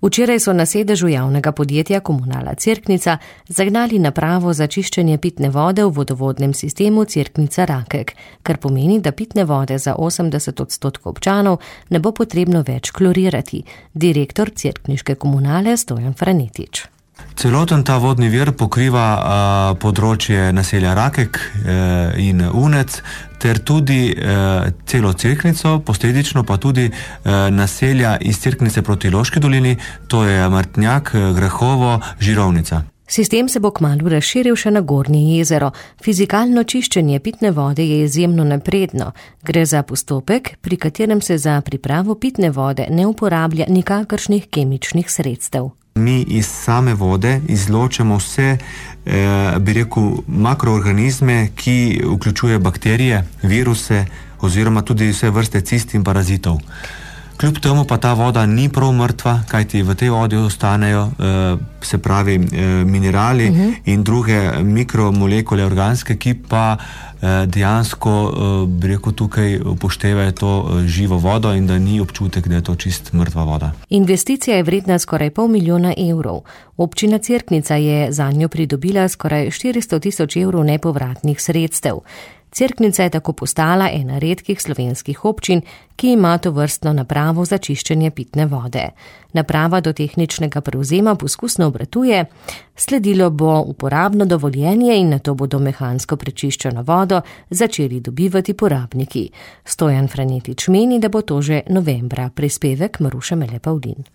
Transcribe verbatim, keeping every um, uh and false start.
Včeraj so na sedežu javnega podjetja Komunala Cerknica zagnali napravo za čiščenje pitne vode v vodovodnem sistemu Cerknica Rakek, kar pomeni, da pitne vode za osemdeset odstotkov občanov ne bo potrebno več klorirati. Direktor cerkniške komunale Stojan Franetič. Celoten ta vodni vir pokriva a, področje naselja Rakek e, in Unec, ter tudi e, celo Cerknico, posledično pa tudi e, naselja iz Cerknice proti Loški dolini, to je Martnjak, Grehovo, Žirovnica. Sistem se bo kmalu razširil še na Gornje jezero. Fizikalno čiščenje pitne vode je izjemno napredno. Gre za postopek, pri katerem se za pripravo pitne vode ne uporablja nikakršnih kemičnih sredstev. Mi iz same vode izločamo vse, eh, bi rekel, makroorganizme, ki vključuje bakterije, viruse oziroma tudi vse vrste cist in parazitov. Kljub temu pa ta voda ni prav mrtva, kajti v tej vodi ostanejo eh, se pravi eh, minerali uh-huh. in druge mikromolekule organske, ki pa eh, dejansko eh, bi rekel tukaj upoštevajo to eh, živo vodo in da ni občutek, da je to čist mrtva voda. Investicija je vredna skoraj pol milijona evrov. Občina Cerknica je zanjo pridobila skoraj štiristo tisoč evrov nepovratnih sredstev. Cerknica je tako postala ena redkih slovenskih občin, ki ima tovrstno napravo za čiščenje pitne vode. Naprava do tehničnega prevzema poskusno obratuje, sledilo bo uporabno dovoljenje in nato bodo mehansko prečiščeno vodo začeli dobivati porabniki. Stojan Franetič meni, da bo to že novembra. Prispevek Maruša Mele Pavlin.